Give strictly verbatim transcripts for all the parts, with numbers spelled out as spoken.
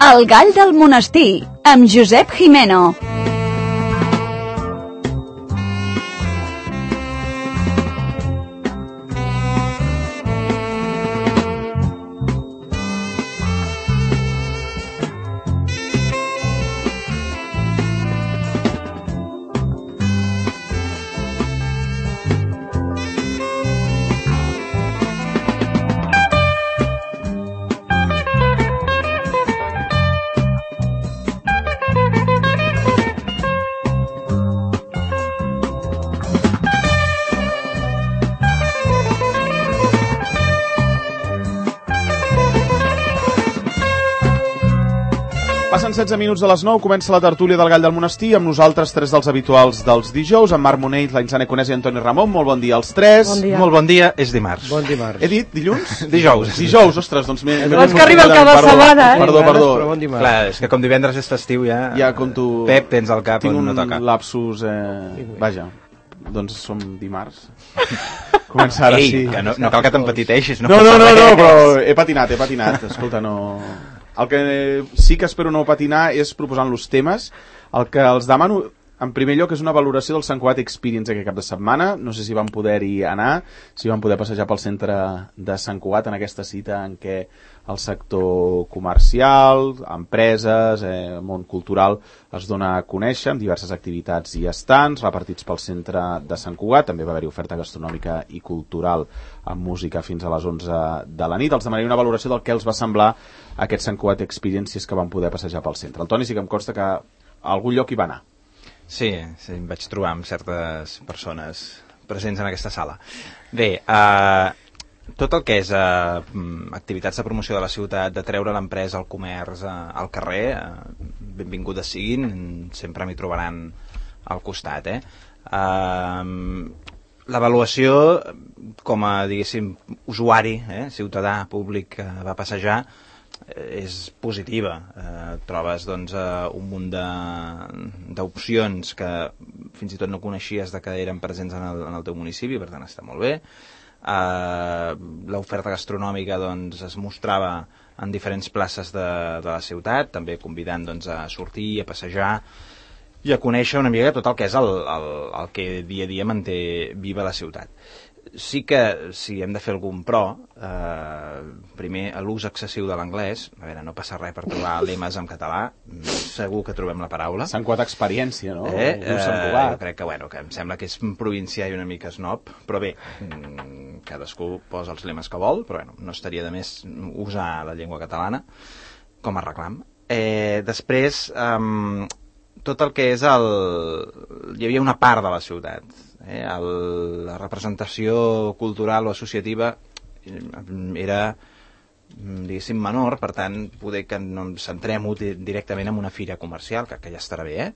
El gall del monestir, amb Josep Jimeno. Passen setze minuts de les nou, comença la tertúlia del Gall del Monestir, amb nosaltres tres dels habituals dels dijous, en Marc Monell, l'Ainzane Conés i Antoni Ramon. Molt bon dia als tres. Bon dia. Molt bon dia, és dimarts. Bon dimarts. He dit dilluns? Dijous. Dijous, ostres, doncs... m'he- m'he És confós. que arriba el cap de Perdó, setmana, eh? Perdó, perdó. Però bon dimarts. Clar, és que com divendres és festiu ja... Ja compto... Pep, tens al cap Tinc on un no toca. lapsus... Eh... Vaja, doncs som dimarts. Comença ara, Ei, sí. que no, no cal que t'empetiteixis. No, no, no, no, però he patinat, he patinat. Escolta, no... El que sí que espero no patinar és proposant-los temes. El que els demano, en primer lloc, és una valoració del Sant Cugat Experience aquest cap de setmana. No sé si van poder-hi anar, si van poder passejar pel centre de Sant Cugat en aquesta cita en què el sector comercial, empreses, eh, món cultural es dona a conèixer amb diverses activitats i estants repartits pel centre de Sant Cugat. També va haver-hi oferta gastronòmica i cultural amb música fins a les onze de la nit. Els demanaré una valoració del que els va semblar aquest Sant Cugat Experiences que van poder passejar pel centre. El Toni sí que em consta que a algun lloc hi va anar. Sí, sí, em vaig trobar amb certes persones presents en aquesta sala. Bé, eh, tot el que és eh, activitats de promoció de la ciutat, de treure l'empresa, el comerç eh, al carrer, eh, benvingudes siguin, sempre m'hi trobaran al costat. Eh? Eh, L'avaluació, com a, diguéssim, usuari, eh, ciutadà, públic que va passejar, és positiva. Eh, trobes doncs, eh, un munt d'opcions que fins i tot no coneixies de que eren presents en el, en el teu municipi, per tant està molt bé. Eh, l'oferta gastronòmica doncs, es mostrava en diferents places de, de la ciutat, també convidant doncs, a sortir, a passejar i a conèixer una mica tot el que és el, el, el que dia a dia manté viva la ciutat. Sí que, si hem de fer algun pro, eh, primer, l'ús excessiu de l'anglès. A veure, no passa res per trobar lemes en català, segur que trobem la paraula. Sant Cugat Experiència, no? Eh? Diu Eh, Sant Cugat. jo crec que, bueno, que em sembla que és provincià i una mica snob, però bé, mm, cadascú posa els lemes que vol, però bueno, no estaria de més usar la llengua catalana com a reclam. Eh, després, eh, tot el que és el... Hi havia una part de la ciutat, eh? el... la representació cultural o associativa era, diguéssim, menor, per tant, poder que no ens centrem directament en una fira comercial, que, que ja estarà bé, eh?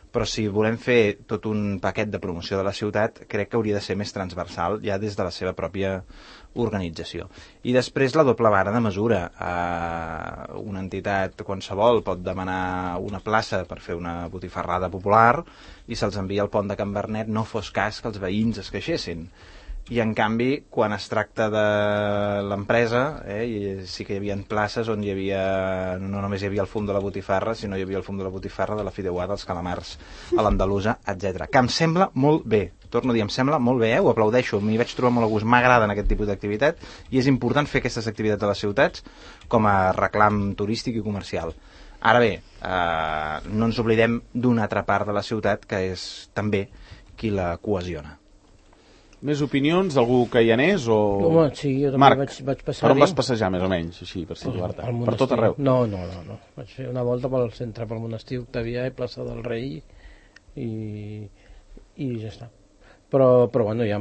Però si volem fer tot un paquet de promoció de la ciutat, crec que hauria de ser més transversal ja des de la seva pròpia organització. I després la doble vara de mesura. Eh, una entitat qualsevol pot demanar una plaça per fer una botifarrada popular i se'ls envia al pont de Can Bernet, no fos cas que els veïns es queixessin. I en canvi, quan es tracta de l'empresa, eh, sí que hi havia places on hi havia, no només hi havia el fum de la botifarra, sinó hi havia el fum de la botifarra, de la fideuà, dels calamars a l'andalusa, etcètera. Que em sembla molt bé, torno a dir, em sembla molt bé, eh? Ho aplaudeixo, m'hi vaig trobar molt a gust, m'agraden aquest tipus d'activitat, i és important fer aquestes activitats a les ciutats com a reclam turístic i comercial. Ara bé, eh, no ens oblidem d'una altra part de la ciutat que és també qui la cohesiona. Més opinions d'algú que hi anés o... Home, sí, jo també Marc, vaig, vaig passar per on vas passejar més o menys, així, per situar-te? Al Per tot arreu? No, no, no, no. Vaig fer una volta pel centre, pel monestir Octavià i plaça del Rei i, i ja està. Però, però bueno, ja,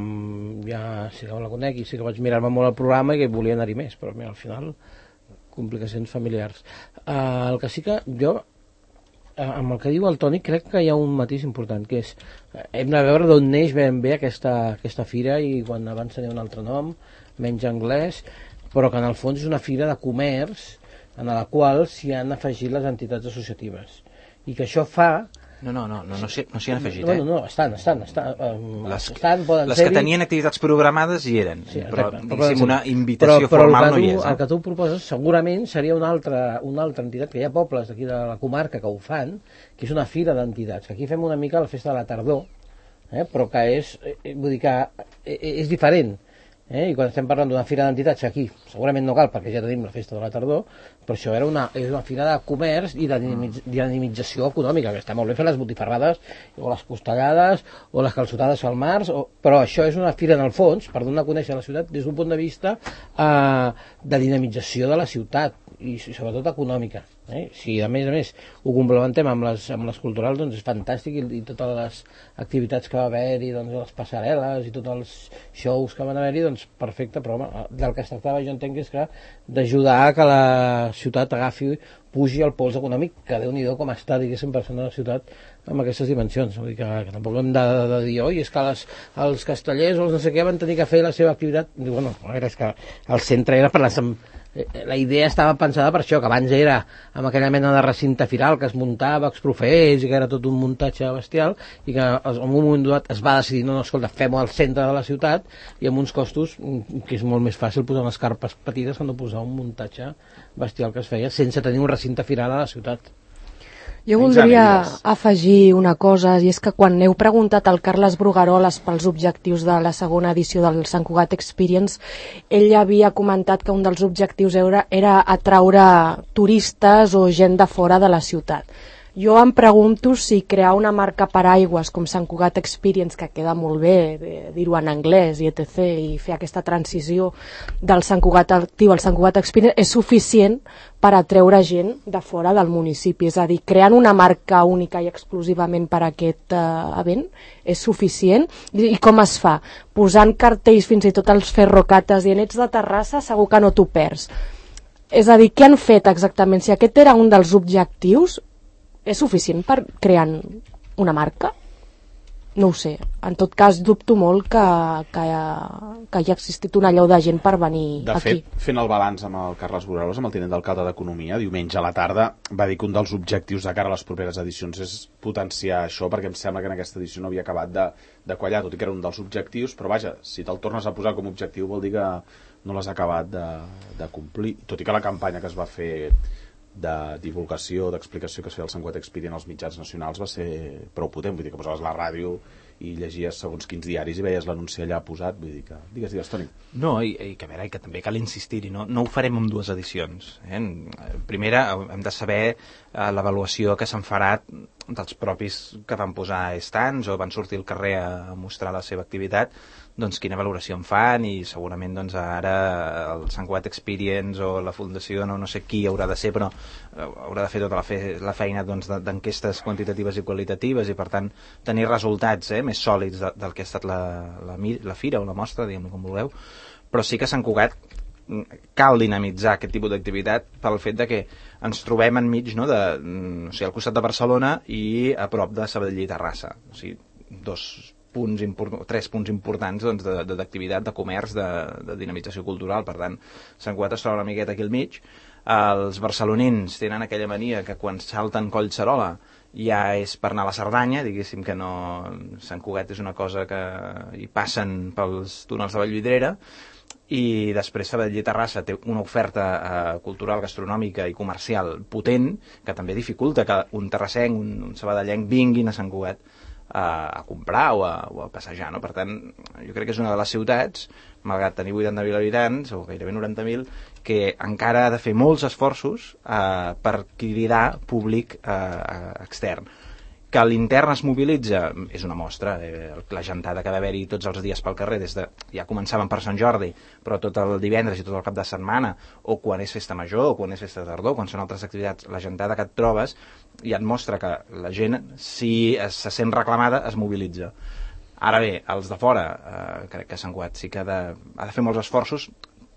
ja sí que la conec i sí que vaig mirar-me molt el programa i que volia anar-hi més, però mira, al final complicacions familiars. Uh, el que sí que jo amb el que diu el Toni crec que hi ha un matís important, que és hem de veure d'on neix ben bé aquesta, aquesta fira, i quan abans tenia un altre nom, menys anglès, però que en el fons és una fira de comerç en la qual s'hi han afegit les entitats associatives, i que això fa No, no, no, no, no s'hi no s'hi han afegit, no, eh? No, no, estan, estan, estan, um, les, estan poden les que tenien activitats programades hi eren, sí, però exacte, diguéssim una invitació però, però formal tu, no hi és. Eh? El que tu proposes segurament seria una altra, una altra entitat, que hi ha pobles d'aquí de la comarca que ho fan, que és una fira d'entitats, que aquí fem una mica la festa de la tardor, eh, però que és, eh, vull dir que és diferent. Eh? I quan estem parlant d'una fira d'entitats, aquí segurament no cal perquè ja tenim la festa de la tardor, però això era una, és una fira de comerç i de dinamització econòmica, que està molt bé fer les botifarrades o les costellades o les calçotades al març, o, però això és una fira en el fons per donar a conèixer la ciutat des d'un punt de vista eh, de dinamització de la ciutat i sobretot econòmica. Eh? Si a més a més ho complementem amb les, amb les culturals, doncs és fantàstic, i, i totes les activitats que va haver-hi, doncs, les passarel·les i tots els shows que van haver-hi, doncs perfecte, però home, del que es tractava jo entenc és que d'ajudar a que la ciutat agafi, pugi el pols econòmic, que Déu-n'hi-do com està, diguéssim, per ser una ciutat amb aquestes dimensions. Vull dir que, que tampoc hem de, de, de dir, oi, és que les, els castellers o els no sé què van tenir que fer la seva activitat. Diu, bueno, a veure, és que el centre era per les... La idea estava pensada per això, que abans era amb aquella mena de recinte firal que es muntava, exprofers, i que era tot un muntatge bestial, i que en un moment donat es va decidir, no, no, escolta, fem-ho al centre de la ciutat, i amb uns costos que és molt més fàcil posar unes carpes petites que no posar un muntatge bestial que es feia sense tenir un recinte firal a la ciutat. Jo voldria afegir una cosa, i és que quan heu preguntat al Carles Brugueroles pels objectius de la segona edició del Sant Cugat Experience, ell havia comentat que un dels objectius era, era atraure turistes o gent de fora de la ciutat. Jo em pregunto si crear una marca paraigües com Sant Cugat Experience, que queda molt bé dir-ho en anglès i etcètera, i fer aquesta transició del Sant Cugat Actiu al Sant Cugat Experience, és suficient per atreure gent de fora del municipi. És a dir, creant una marca única i exclusivament per a aquest uh, event és suficient. I, I com es fa? Posant cartells fins i tot als ferrocates i en ets de Terrassa segur que no t'ho perds. És a dir, què han fet exactament? Si aquest era un dels objectius, és suficient per crear una marca? No ho sé. En tot cas, dubto molt que, que, que hi ha existit una llau de gent per venir de aquí. De fet, fent el balanç amb el Carles Brugueroles, amb el tinent d'alcalde d'Economia, diumenge a la tarda, va dir que un dels objectius de cara a les properes edicions és potenciar això, perquè em sembla que en aquesta edició no havia acabat de, de quallar, tot i que era un dels objectius, però vaja, si te'l tornes a posar com a objectiu vol dir que no l'has acabat de, de complir, tot i que la campanya que es va fer de divulgació, d'explicació que es feia el Sant Cugat Experience als mitjans nacionals va ser prou potent, vull dir que posaves la ràdio i llegies segons quins diaris i veies l'anunci allà posat, vull dir que... Digues, digues, Toni. No, i, i que a veure, i que també cal insistir-hi, no, no ho farem en dues edicions. Eh? Primera, hem de saber eh, l'avaluació que se'n farà dels propis que van posar estants o van sortir al carrer a mostrar la seva activitat, doncs quina valoració en fan, i segurament doncs, ara el Sant Cugat Experience o la Fundació, no, no sé qui haurà de ser, però haurà de fer tota la, fe, la feina doncs, d'enquestes quantitatives i qualitatives, i per tant tenir resultats eh, més sòlids de, del que ha estat la, la, la fira o la mostra, diguem-ne com vulgueu. Però sí que Sant Cugat cal dinamitzar aquest tipus d'activitat pel fet de que ens trobem enmig, no, de, o sigui, al costat de Barcelona i a prop de Sabadell i Terrassa, o sigui, dos punts import, tres punts importants doncs, d'activitat, de, de comerç, de, de dinamització cultural. Per tant, Sant Cugat es troba una miqueta aquí al mig. Els barcelonins tenen aquella mania que quan salten Collserola ja és per anar a la Cerdanya, diguéssim que no... Sant Cugat és una cosa que hi passen pels túnels de Vallvidrera, i després Sabadell i Terrassa té una oferta eh, cultural, gastronòmica i comercial potent, que també dificulta que un terrassenc, un, un sabadellenc vinguin a Sant Cugat a, a comprar o a, o a passejar, no? Per tant, jo crec que és una de les ciutats, malgrat tenir vuitanta mil habitants, o gairebé noranta mil, que encara ha de fer molts esforços eh, per cridar públic eh, extern. Que l'intern es mobilitza és una mostra, eh, la gentada que va haver-hi tots els dies pel carrer, des de, ja començaven per Sant Jordi, però tot el divendres i tot el cap de setmana, o quan és festa major, o quan és festa de tardor, quan són altres activitats, la gentada que et trobes ja et mostra que la gent, si es, se sent reclamada, es mobilitza. Ara bé, els de fora, eh, crec que Sant Cugat sí que ha de, ha de fer molts esforços.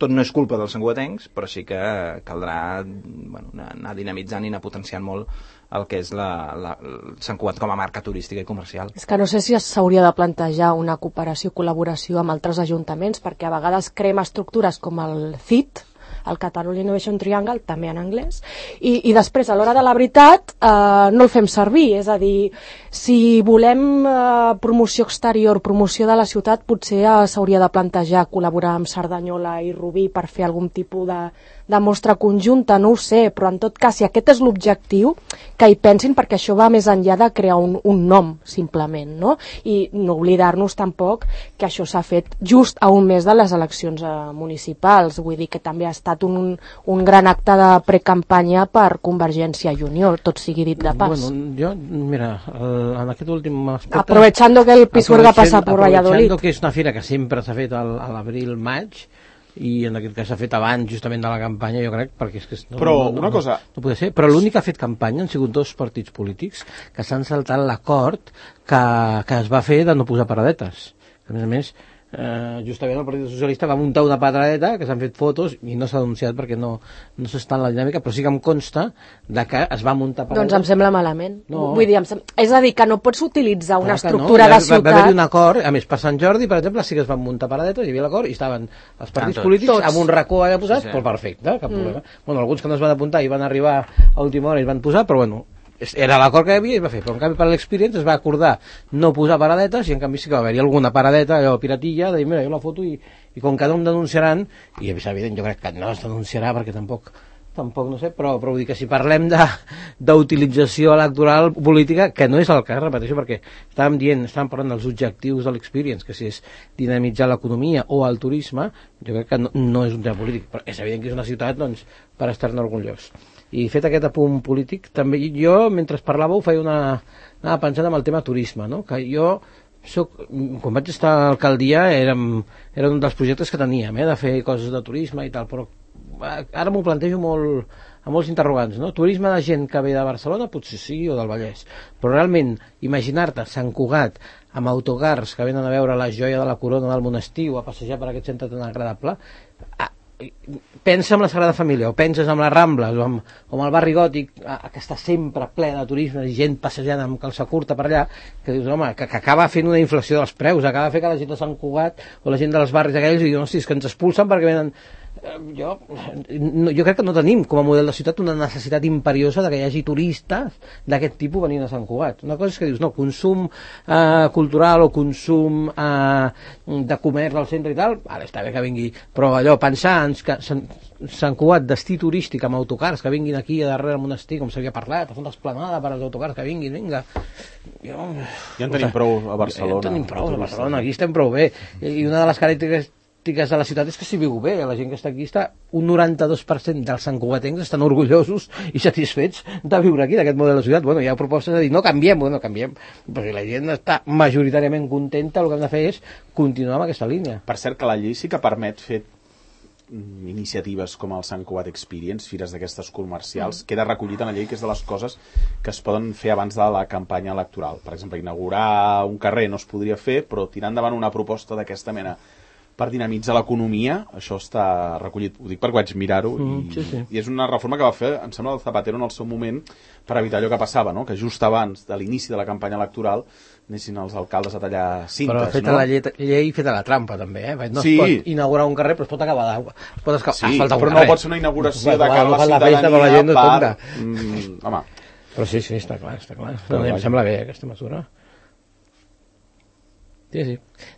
Tot no és culpa dels santcugatencs, però sí que caldrà bueno, anar dinamitzant i anar potenciant molt el que és la, la, el Sant Cugat com a marca turística i comercial. És que no sé si s'hauria de plantejar una cooperació, col·laboració amb altres ajuntaments, perquè a vegades creem estructures com el C I T, el Catalunya Innovation Triangle, també en anglès, i, i després, a l'hora de la veritat, eh, no el fem servir, és a dir, si volem eh, promoció exterior, promoció de la ciutat, potser eh, s'hauria de plantejar col·laborar amb Cerdanyola i Rubí per fer algun tipus de, de mostra conjunta, no ho sé, però en tot cas, si aquest és l'objectiu, que hi pensin, perquè això va més enllà de crear un, un nom, simplement, no? I no oblidar-nos tampoc que això s'ha fet just a un mes de les eleccions eh, municipals, vull dir que també ha estat un, un gran acte de precampanya per Convergència i Unió, tot sigui dit de pas. Bueno, jo, mira, el, en aquest últim aspecte... Aprovechando que el Pisuerga pasa por Valladolid. Aprovechando que és una fira que sempre s'ha fet al, a l'abril-maig, i en aquest cas s'ha fet abans justament de la campanya, jo crec, perquè és que no, però no, no, una cosa... no, no pot ser, però l'únic que ha fet campanya han sigut dos partits polítics que s'han saltat l'acord que, que es va fer de no posar paradetes, que a més a més eh, justament el Partit Socialista va muntar una paradeta que s'han fet fotos i no s'ha denunciat perquè no, no s'està en la dinàmica, però sí que em consta de que es va muntar paradetes. Doncs em sembla malament. No. Vull dir, em sem... és a dir, que no pots utilitzar una Clar estructura no. de ciutat... Va, va haver-hi un acord, a més per Sant Jordi, per exemple, sí que es van muntar paradetes, hi havia l'acord i estaven els partits tots. polítics Tots. amb un racó allà posat, Sí, sí. però perfecte, cap Mm. problema. Bueno, alguns que no es van apuntar i van arribar a última hora i es van posar, però bueno, era l'acord que hi havia i es va fer, però en canvi per l'Experience es va acordar no posar paradetes i en canvi sí que va haver-hi alguna paradeta, allò piratilla, de dir, mira, jo la foto i, i com que no em denunciaran, i és evident, jo crec que no es denunciarà perquè tampoc tampoc no sé, però, però vull dir que si parlem d'utilització electoral política, que no és el cas, repeteixo, perquè estàvem dient, estàvem parlant dels objectius de l'Experience, que si és dinamitzar l'economia o el turisme, jo crec que no, no és un tema polític, però és evident que és una ciutat, doncs, per estar-ne orgullós. I fet aquest apunt polític, també jo, mentre parlàveu, feia una... anava pensant en el tema turisme, no? Que jo soc, quan vaig estar a l'alcaldia era, era un dels projectes que teníem, eh, de fer coses de turisme i tal, però ara m'ho plantejo molt, amb molts interrogants, no? Turisme de gent que ve de Barcelona, potser sí, o del Vallès, però realment imaginar-te Sant Cugat amb autocars que venen a veure la joia de la corona del monestir o a passejar per aquest centre tan agradable, ah, pensa en la Sagrada Família o penses en les Rambles o amb, o amb el barri gòtic que està sempre ple de turisme i gent passejant amb calça curta per allà, que dius, home, que, que acaba fent una inflació dels preus, acaba fent que la gent de Sant Cugat o la gent dels barris aquells i diuen, hosti, és que ens expulsen perquè venen... Jo, no, jo crec que no tenim com a model de ciutat una necessitat imperiosa de que hi hagi turistes d'aquest tipus venint a Sant Cugat. Una cosa és que dius, no, consum eh, cultural o consum eh, de comerç al centre i tal, vale, està bé que vingui, però allò, pensar en que Sant, Sant Cugat, destí turístic amb autocars que vinguin aquí a darrere del monestir, com s'havia parlat, a fer una esplanada per als autocars que vinguin, vinga. Jo, ja en tenim prou a Barcelona. Ja en tenim prou a Barcelona, aquí estem prou bé. I una de les característiques de la ciutat és que s'hi viu bé, la gent que està aquí està, un noranta-dos per cent dels santcugatencs estan orgullosos i satisfets de viure aquí, d'aquest model de ciutat. Bueno, hi ha propostes de dir, no canviem, bueno, canviem, perquè la gent està majoritàriament contenta, el que hem de fer és continuar amb aquesta línia. Per cert, que la llei sí que permet fer iniciatives com el Sant Cugat Experience, fires d'aquestes comercials, mm. queda recollit en la llei, que és de les coses que es poden fer abans de la campanya electoral. Per exemple, inaugurar un carrer no es podria fer, però tirar endavant una proposta d'aquesta mena per dinamitzar l'economia, això està recollit, ho dic perquè vaig mirar-ho, mm, i, sí, sí. i és una reforma que va fer, em sembla, el Zapatero en el seu moment per evitar allò que passava, no? Que just abans de l'inici de la campanya electoral anessin els alcaldes a tallar cintes. Però feta no? la llei, llei feta la trampa, també, eh? No sí. es pot inaugurar un carrer, però es pot acabar d'aigua. Es pot esca... sí, asfaltar un però carrer. no pot ser una inauguració de cara a la la ciutadania festa, la gent no per... Mm, home. Però sí, sí, està clar, està clar. No, em sembla bé aquesta mesura. Sí, sí.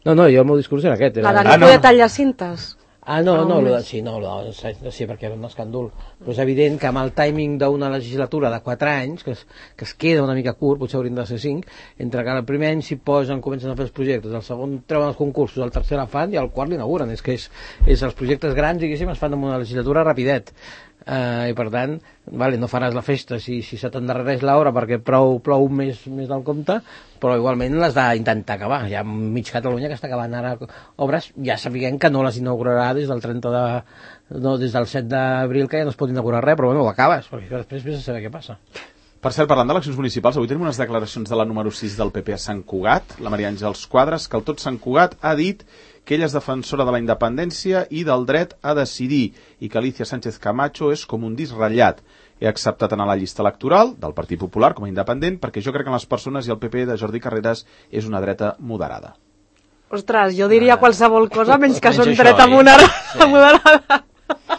No, no, jo el meu discurs era aquest. Era... La de no ah, no. poder tallar cintes. Ah, no, no, no, sí, no, no, sí, perquè era un escàndol. Però és evident que amb el timing d'una legislatura de quatre anys, que es, que es queda una mica curt, potser haurien de ser cinc, entre que el primer any s'hi posen, comencen a fer els projectes, el segon treuen els concursos, el tercer la fan i el quart l'inauguren. És que és, és els projectes grans, diguéssim, es fan en una legislatura rapidet. Uh, i per tant, vale, no faràs la festa si, si se t'endarrereix l'hora perquè plou, plou més, més del compte, però igualment les d'intentar acabar. Hi ha mig Catalunya que està acabant ara obres, ja sapiguem que no les inaugurarà des del trenta de, no, des del set d'abril, que ja no es pot inaugurar res, però bueno, ho acabes, perquè després vés a saber què passa. Per cert, parlant d'eleccions municipals, avui tenim unes declaracions de la número sis del P P a Sant Cugat, la Maria Àngels Quadres, que el tot Sant Cugat ha dit que ella és defensora de la independència i del dret a decidir, i que Alicia Sánchez Camacho és com un disc ratllat. He acceptat anar a la llista electoral del Partit Popular com a independent perquè jo crec que en les persones i el P P de Jordi Carreras és una dreta moderada. Ostres, jo diria qualsevol cosa menys que són dreta moderada.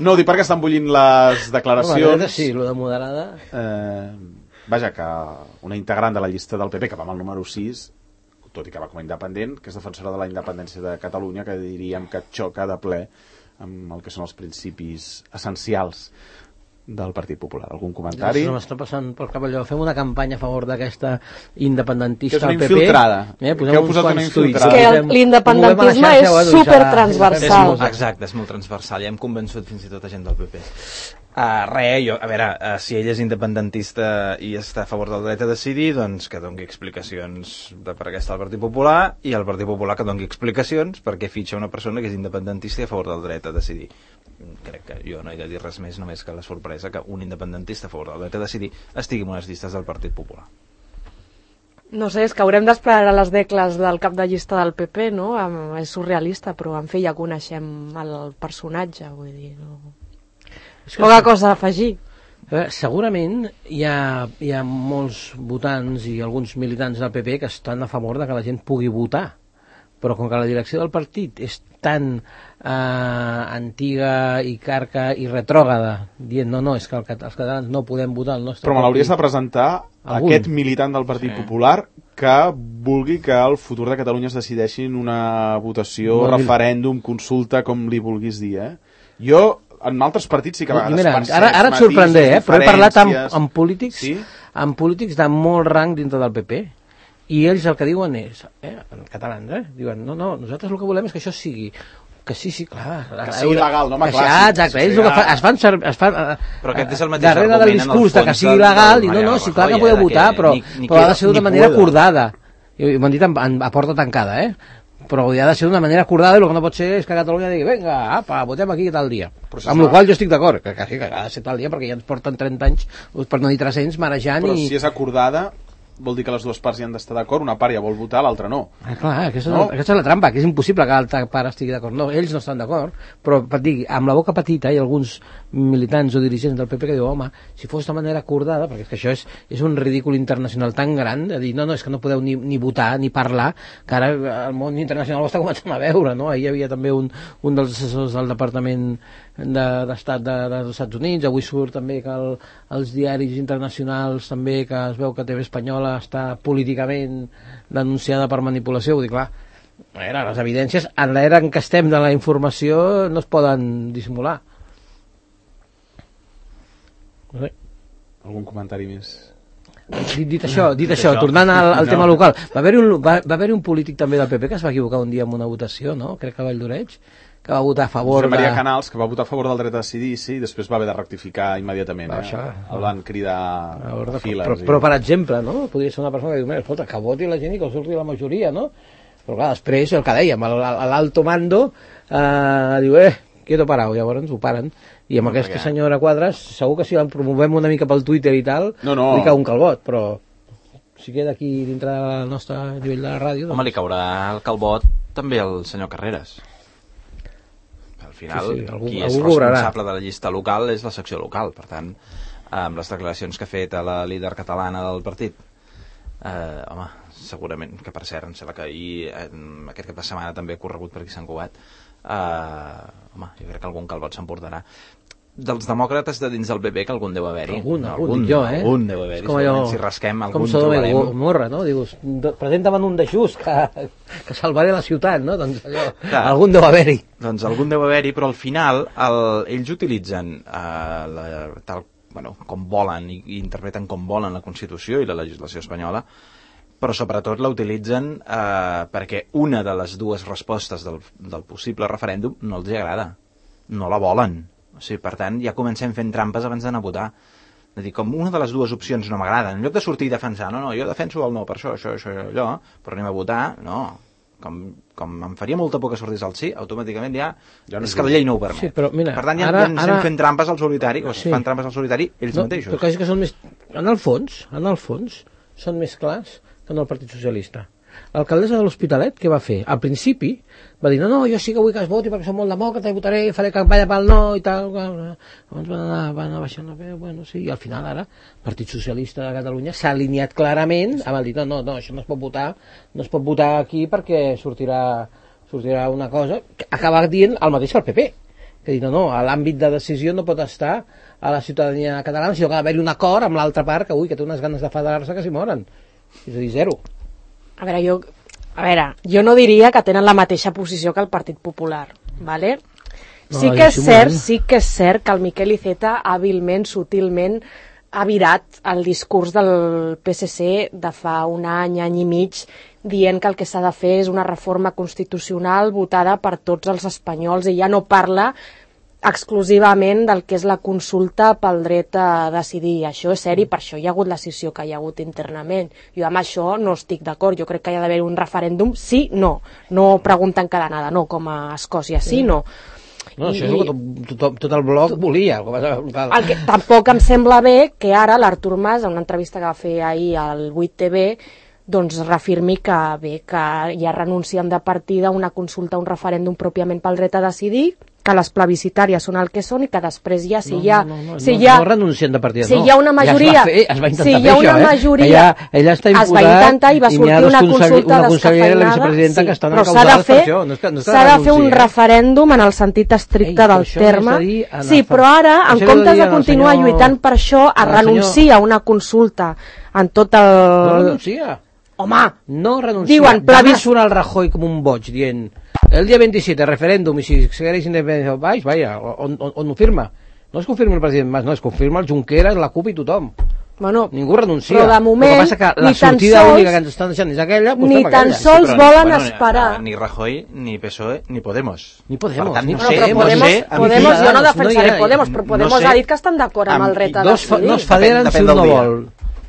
No, dic perquè estan bullint les declaracions. No, sí, lo de moderada... Eh, vaja, que una integrant de la llista del P P, que va amb el número sis, tot i que va com a independent, que és defensora de la independència de Catalunya, que diríem que xoca de ple amb el que són els principis essencials del Partit Popular. Algun comentari? No m'està passant pel cap allò. Fem una campanya a favor d'aquesta independentista al P P. Que és una infiltrada. Eh, que heu posat una infiltrada. És que l'independentisme és supertransversal. Exacte, és molt transversal. Ja hem convençut fins i tot a gent del P P. Uh, res, jo, a veure, uh, si ell és independentista i està a favor del dret a decidir, doncs que doni explicacions de per què està el Partit Popular, i el Partit Popular que doni explicacions perquè fitxa una persona que és independentista i a favor del dret a decidir. Crec que jo no he de dir res més, només que la sorpresa que un independentista a favor del dret a decidir estigui en unes llistes del Partit Popular. No sé, és que haurem d'esperar a les decles del cap de llista del P P, no? És surrealista, però en fi ja coneixem el personatge, vull dir, no... Poca cosa a afegir. Eh, segurament hi ha, hi ha molts votants i alguns militants del P P que estan a favor de que la gent pugui votar, però com que la direcció del partit és tan eh, antiga i carca i retrògrada, dient no, no, és que el, els catalans no podem votar el nostre però me l'hauries partit. de presentar algun. Aquest militant del Partit sí. Popular que vulgui que el futur de Catalunya es decideixi en una votació, Molt referèndum, consulta, com li vulguis dir, eh? Jo en altres partits sí que a vegades mira, percebs ara, ara et sorprendré, eh? Però he parlat amb, amb polítics sí? amb polítics de molt rang dintre del P P i ells el que diuen és eh, en catalans, eh? Diuen, no, no, nosaltres el que volem és que això sigui que sí, sí, clar. Que sigui legal, no home, clar. Ah, exacte, ells el que fa, es fan servir... Es fan, però aquest és el mateix darrere del discurs de que sigui legal, i no, no, sí, clar que podeu votar, però, però ha de ser d'una manera acordada. I m'han dit a porta tancada, eh? Però ha de ser d'una manera acordada i el que no pot ser és que Catalunya digui vinga, apa, votem aquí tal dia. Si amb la qual jo estic d'acord, que, que, que ha de ser tal dia perquè ja ens porten trenta anys, per no dir tres-cents, marejant. Però i... si és acordada vol dir que les dues parts hi han d'estar d'acord, una part ja vol votar, l'altra no. Ah, clar, aquesta, no? és, aquesta és la trampa, que és impossible que l'altra part estigui d'acord. No, ells no estan d'acord, però per dir, amb la boca petita hi ha alguns militants o dirigents del P P que diuen, home, si fos de manera acordada, perquè és que això és, és un ridícul internacional tan gran, de dir, no, no, és que no podeu ni, ni votar, ni parlar, que ara el món internacional ho està començant a veure, no? Ahir hi havia també un, un dels assessors del Departament d'Estat de, de, dels Estats Units, avui surt també que el, els diaris internacionals també, que es veu que T V Espanyola està políticament denunciada per manipulació, vull dir, clar, era, les evidències en l'era en què estem de la informació no es poden dissimular. No sé. Algun comentari més? Dit, dit això, dit, dit això, això, tornant al, al no. tema local, va haver-hi un, va, va haver un polític també del P P que es va equivocar un dia en una votació, no? Crec que a Valldoreig, que va votar a favor Josep Maria de... Canals, que va votar a favor del dret a decidir, sí, i després va haver de rectificar immediatament. Va, eh? això, el van cridar a, a files. Però, però, per exemple, no? Podria ser una persona que diu, mira, escolta, que voti la gent i que surti la majoria, no? Però clar, després, el que dèiem, l'alto mando eh, diu, eh, quieto parao, llavors ho paren. I amb no, aquesta perquè... senyora Quadras, segur que si la promovem una mica pel Twitter i tal, no, no. li cau un calbot, però si queda aquí dintre del nostre nivell de la ràdio... Home, doncs... li caurà el calbot també al senyor Carreras. Al final, sí, sí, algú, qui és responsable de la llista local és la secció local, per tant, amb les declaracions que ha fet a la líder catalana del partit, eh, home, segurament, que per cert, em sembla que ahir, eh, aquest cap de setmana també ha corregut per aquí Sant Cugat, eh, home, jo crec que algun calbot s'emportarà. Dels demòcrates de dins del P P que algun deu haver-hi. Algun, algun, algun jo, eh? Algun deu haver-hi, segurament, si rasquem algun trobarem. Com Gomorra, no? Dius, presenta'm un de just que, que salvaré la ciutat, no? Doncs allò, clar, algun deu haver-hi. Doncs algun deu haver-hi, però al final el, ells utilitzen eh, la, tal, bueno, com volen i, i interpreten com volen la Constitució i la legislació espanyola, però sobretot la utilitzen eh, perquè una de les dues respostes del, del possible referèndum no els agrada, no la volen. O sigui, per tant, ja comencem fent trampes abans d'anar a votar. És a dir, com una de les dues opcions no m'agrada, en lloc de sortir i defensar, no, no, jo defenso el no per això, això, això, allò, però anem a votar, no. Com, com em faria molta por que sortís el sí, automàticament ja, ja no és que la llei no ho permet. Sí, però mira, per tant, ja, ara, ja ens ara... fent trampes al solitari, o sí. fan trampes al solitari ells no, mateixos. Però quasi que són més... En el fons, en el fons, són més clars que en el Partit Socialista. L'alcaldessa de l'Hospitalet, què va fer? Al principi va dir, no, no, jo sí que vull que es voti perquè som molt demòcrata i votaré, faré campanya pel no i tal. Llavors van anar, van anar baixant la veu, bueno, sí, i al final ara el Partit Socialista de Catalunya s'ha alineat clarament amb el dir, no, no, no, això no es pot votar, no es pot votar aquí perquè sortirà, sortirà una cosa que acaba dient el mateix que el P P. que dir, no, no, l'àmbit de decisió no pot estar a la ciutadania catalana, sinó que ha d'haver-hi un acord amb l'altra part que, ui, que té unes ganes de federar-se que s'hi moren. És a dir, zero. A veure, jo, a veure, jo no diria que tenen la mateixa posició que el Partit Popular, ¿vale? Sí que és cert, sí que és cert que el Miquel Iceta hàbilment, sutilment, ha virat el discurs del P S C de fa un any, any i mig, dient que el que s'ha de fer és una reforma constitucional votada per tots els espanyols i ja no parla exclusivament del que és la consulta pel dret a decidir. Això és seri, per això hi ha hagut la scissió que hi ha hagut internament. Jo amb això no estic d'acord, jo crec que hi ha d'haver un referèndum sí, no, no pregunten cada nada, no, com a Escòcia, sí, no. No, això és el que tot, tot, tot el bloc volia. El que tampoc em sembla bé que ara l'Artur Mas, en una entrevista que va fer ahir al vuit T V, doncs reafirmi que bé, que ja renuncien de partida a una consulta, a un referèndum pròpiament pel dret a decidir, que les plebiscitàries són el que són i que després ja, si no, hi ha... No, no, no, si no, hi ha, no renuncien de partida, si no. hi ha una majoria... Ja es va fer, es va intentar si hi ha fer una això, majoria, eh? Ella, ella està imputat, es va intentar i va sortir una consulta una consellera i la vicepresidenta sí, que estan però s'ha de encausades fer, per això. No és que, no és que s'ha de fer un renunci, referèndum en el sentit estricte Ei, del terme. Sí, fa... però ara, en això comptes de dir continuar senyor... lluitant per això, es renuncia a una consulta en tot el... No renuncia. Home, no renuncia. Diuen, Demà surt el Rajoy com un boig dient el dia vint-i-set referèndum i si segueix independència del país, vaja, on, on, on ho firma? No es confirma el president Mas, no, es confirma el Junqueras, la CUP i tothom. Bueno, ningú renuncia. però de moment, el que passa que la sortida sols, única que ens estan deixant és aquella, pues ni tan aquella. sols sí, volen bueno, esperar. Ni Rajoy, ni P S O E, ni Podemos. Ni Podemos. Per tant, ni no, no, sé, però Podemos, no sé, Podemos, jo no defensaré no Podemos, però Podemos no sé, ha dit que estan d'acord amb, amb el dret a decidir. No es federen si un no vol.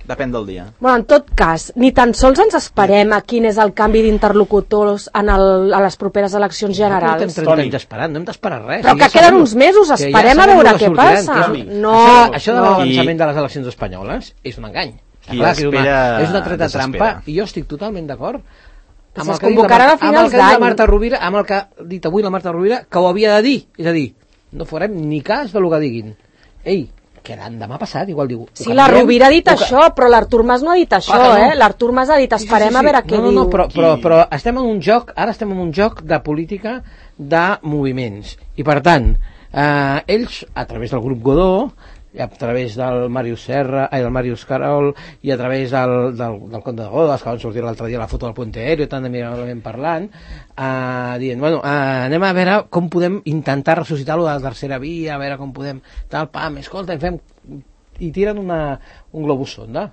Depèn del dia. Bueno, en tot cas, ni tan sols ens esperem a quin és el canvi d'interlocutors en el, a les properes eleccions generals. No trenta anys esperant, no hem d'esperar res. Però que queden uns mesos, esperem a veure què passa. No, això de l'avançament de les eleccions espanyoles és un engany. Clar, és una, és una treta trampa i jo estic totalment d'acord amb el que convocaran a finals d'any. Marta Rovira, amb el que ha dit avui la Marta Rovira, que ho havia de dir. És a dir, no farem ni cas del que diguin. Ei, quedant demà passat, igual diu... Sí, la Rovira ha dit això, però l'Artur Mas no ha dit això, eh? L'Artur Mas ha dit, esperem a veure què diu. No, no, però, però, però estem en un joc, ara estem en un joc de política de moviments. I per tant, eh, ells, a través del grup Godó, a través del Màrius Serra, ai, del Màrius Carol, i a través del, del, del Comte de Godes, que van sortir l'altre dia la foto del Puente Aéreo, tant amigablement parlant, eh, dient, bueno, eh, anem a veure com podem intentar ressuscitar-lo de la tercera via, a veure com podem, tal, pam, escolta, fem... i tiren una, un globus sonda.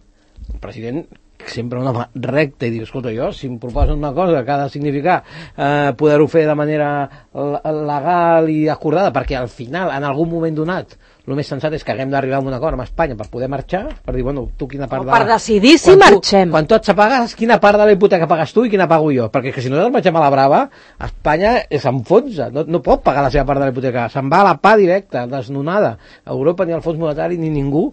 El president sempre un home recte i diu, escolta, jo, si em proposen una cosa que ha de significar eh, poder-ho fer de manera legal i acordada, perquè al final, en algun moment donat, el més sensat és que haguem d'arribar a un acord amb Espanya per poder marxar, per dir, bueno, tu quina part o de... per decidir si marxem. Quan tu et pagues, quina part de la hipoteca pagues tu i quina pago jo? Perquè que si no ens marxem a la brava, Espanya s'enfonsa, no, no pot pagar la seva part de la hipoteca, se'n va a la pa directa, desnonada. Europa, ni el Fons Monetari, ni ningú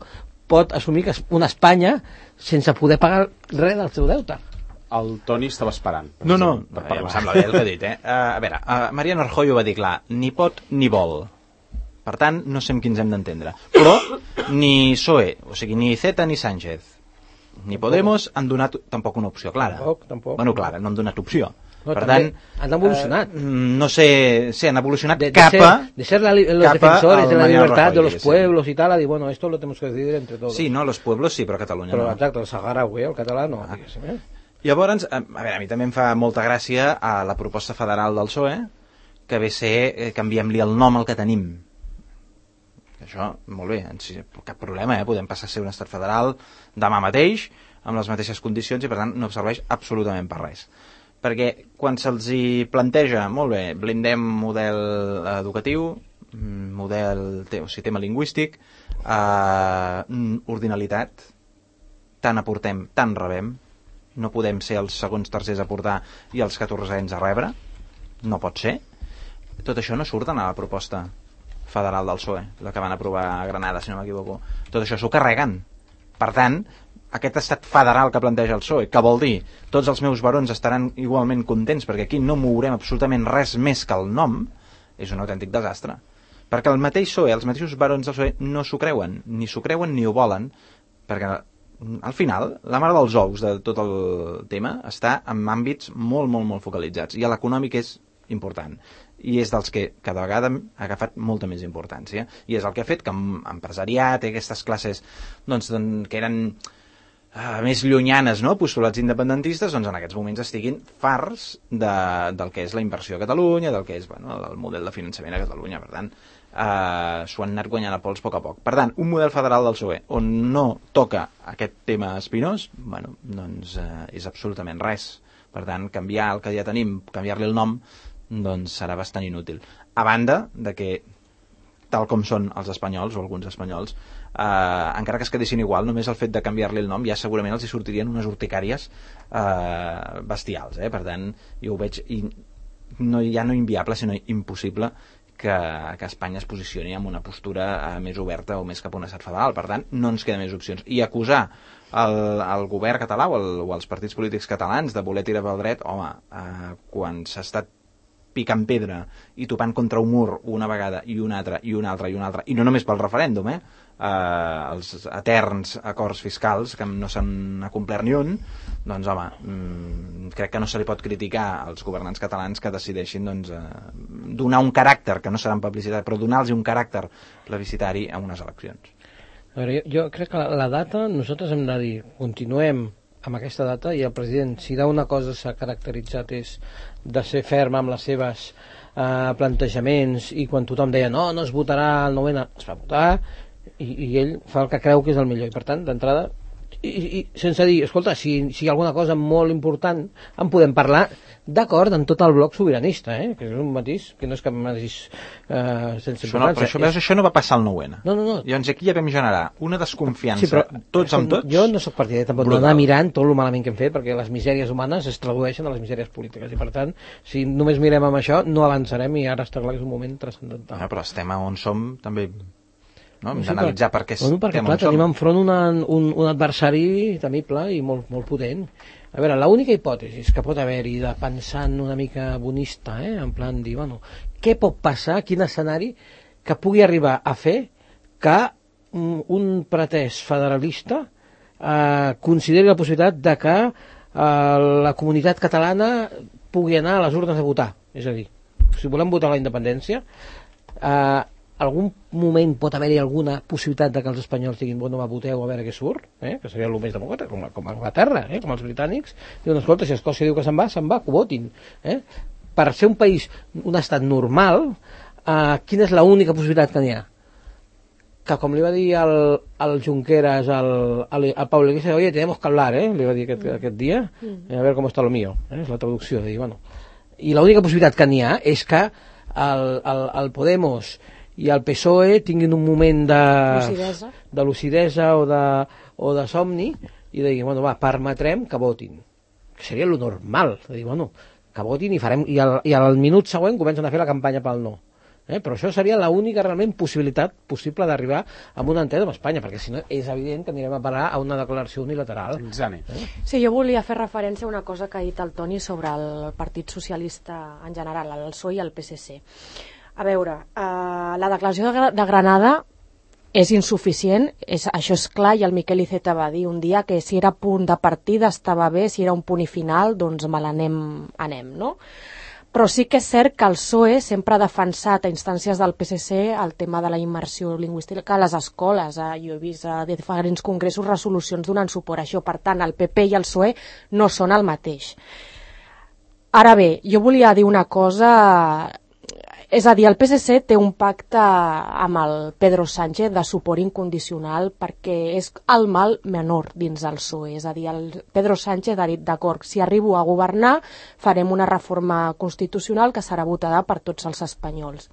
pot assumir que és una Espanya sense poder pagar res del seu deute. El Toni estava esperant. No, no, ja em sembla bé el que ha dit, eh? Uh, a veure, uh, Mariano Rajoy ho va dir clar, ni pot ni vol. Per tant, no sé amb qui ens hem d'entendre. Però ni P S O E, o sigui, ni Iceta ni Sánchez, ni Podemos han donat tampoc una opció clara. Tampoc, tampoc. Bueno, clara, no han donat opció. No, per tant, han evolucionat. Eh, no sé, sí, han evolucionat de, de cap a... De ser la, los defensores de la libertad de los pueblos y tal, a dir, bueno, esto lo tenemos que decidir entre todos. Sí, no, los pueblos sí, però Catalunya però, no. Però exacte, el saharaui, el català no. Ah. Eh? Llavors, a, a veure, a mi també em fa molta gràcia a la proposta federal del P S O E, que ve ser, eh, canviem-li el nom al que tenim. Això, molt bé, cap problema, eh? Podem passar a ser un estat federal demà mateix, amb les mateixes condicions, i per tant no serveix absolutament per res. Perquè quan se'ls hi planteja, molt bé, blindem model educatiu, model, o sigui, tema lingüístic, eh, ordinalitat, tant aportem, tant rebem, no podem ser els segons tercers a aportar i els catorzens a rebre, no pot ser. Tot això no surt a la proposta federal del P S O E, la que van aprovar a Granada, si no m'equivoco. Tot això s'ho carreguen. Per tant, aquest estat federal que planteja el P S O E, que vol dir tots els meus barons estaran igualment contents perquè aquí no mourem absolutament res més que el nom, és un autèntic desastre. Perquè el mateix P S O E, els mateixos barons del P S O E no s'ho creuen, ni s'ho creuen ni ho volen, perquè al final la mare dels ous de tot el tema està en àmbits molt, molt, molt focalitzats, i l'econòmic és important. i és dels que cada vegada ha agafat molta més importància, i és el que ha fet que empresariat i aquestes classes doncs, que eren uh, més llunyanes, no?, postulats independentistes, doncs en aquests moments estiguin farts de, del que és la inversió a Catalunya, del que és bueno, el model de finançament a Catalunya. Per tant, uh, s'ho han anat guanyant a pols a poc a poc. Per tant, un model federal del P S O E on no toca aquest tema espinós, bueno, doncs uh, és absolutament res. Per tant, canviar el que ja tenim, canviar-li el nom, doncs serà bastant inútil. A banda de que, tal com són els espanyols, o alguns espanyols, eh, encara que es quedessin igual, només el fet de canviar-li el nom ja segurament els hi sortirien unes urticàries eh, bestials. Eh? Per tant, jo ho veig i no, ja no inviable, sinó impossible que, que Espanya es posicioni en una postura eh, més oberta o més cap a un estat federal. Per tant, no ens queden més opcions. I acusar el, el govern català o, el, o els partits polítics catalans de voler tirar pel dret, home, eh, quan s'ha estat picant pedra i topant contra un mur una vegada i una altra i una altra i una altra, i no només pel referèndum, eh? Eh, els eterns acords fiscals que no s'han complert ni un, doncs home, mmm, crec que no se li pot criticar als governants catalans que decideixin doncs, eh, donar un caràcter, que no serà en publicitat, però donar-los un caràcter plebiscitari a unes eleccions. A veure, jo, jo crec que la, la data, nosaltres hem de dir, continuem amb aquesta data, i el president, si d'una cosa s'ha caracteritzat és de ser ferm amb les seves eh, plantejaments, i quan tothom deia no, no es votarà el novena, es va votar, i, i ell fa el que creu que és el millor, i per tant, d'entrada, i, i sense dir, escolta, si, si hi ha alguna cosa molt important en podem parlar d'acord amb tot el bloc sobiranista, eh? Que és un matís que no és cap matís eh, sense això no, però això, veus, això no va passar al nou-N. No, no, no. Llavors aquí ja vam generar una desconfiança, sí, però, tots amb tots. Jo no soc partidari tampoc d'anar mirant tot el malament que hem fet, perquè les misèries humanes es tradueixen a les misèries polítiques, i per tant, si només mirem amb això, no avançarem, i ara està clar que és un moment transcendental. Ah, però estem on som també, no? Hem sí, d'analitzar per què bueno, perquè, estem clar, on som. tenim enfront una, un, un adversari temible i molt, molt potent. A veure, l'única hipòtesi que pot haver-hi de pensant una mica bonista, eh, en plan dir, bueno, què pot passar, quin escenari que pugui arribar a fer que un, un pretès federalista eh, consideri la possibilitat de que eh, la comunitat catalana pugui anar a les urnes a votar. És a dir, si volem votar la independència, eh, algun moment pot haver-hi alguna possibilitat de que els espanyols diguin, bueno, va, voteu a veure què surt, eh? Que seria el més demòcrata, com, com a Anglaterra, eh? Com els britànics. Diuen, escolta, si Escòcia diu que se'n va, se'n va, que ho votin. Eh? Per ser un país, un estat normal, eh, quina és l'única possibilitat que n'hi ha? Que com li va dir el, el Junqueras al, al, al Pablo Iglesias, oye, tenemos que hablar, eh? Li va dir aquest, aquest dia, eh, a veure com està lo mío, eh? És la traducció, de dir, bueno. I l'única possibilitat que n'hi ha és que el, el, el Podemos i el P S O E tinguin un moment de lucidesa, de lucidesa o, de, o de somni, i de dir, bueno, va, permetrem que votin. Que seria lo normal, de dir, bueno, que votin i farem, i al, i al minut següent comencen a fer la campanya pel no. Eh? Però això seria l'única realment possibilitat possible d'arribar a un entès amb Espanya, perquè si no és evident que anirem a parar a una declaració unilateral. Eh? Sí, jo volia fer referència a una cosa que ha dit el Toni sobre el Partit Socialista en general, el P S O E i el P S C. A veure, eh, la declaració de, de Granada és insuficient, és, això és clar, i el Miquel Iceta va dir un dia que si era punt de partida estava bé, si era un punt i final, doncs me l'anem, anem, no? Però sí que és cert que el P S O E sempre ha defensat a instàncies del P S C el tema de la immersió lingüística a les escoles. Eh? Jo he vist a diferents congressos resolucions donant suport a això. Per tant, el P P i el P S O E no són el mateix. Ara bé, jo volia dir una cosa. És a dir, el P S C té un pacte amb el Pedro Sánchez de suport incondicional perquè és el mal menor dins del P S O E. És a dir, el Pedro Sánchez ha dit, d'acord, si arribo a governar farem una reforma constitucional que serà votada per tots els espanyols.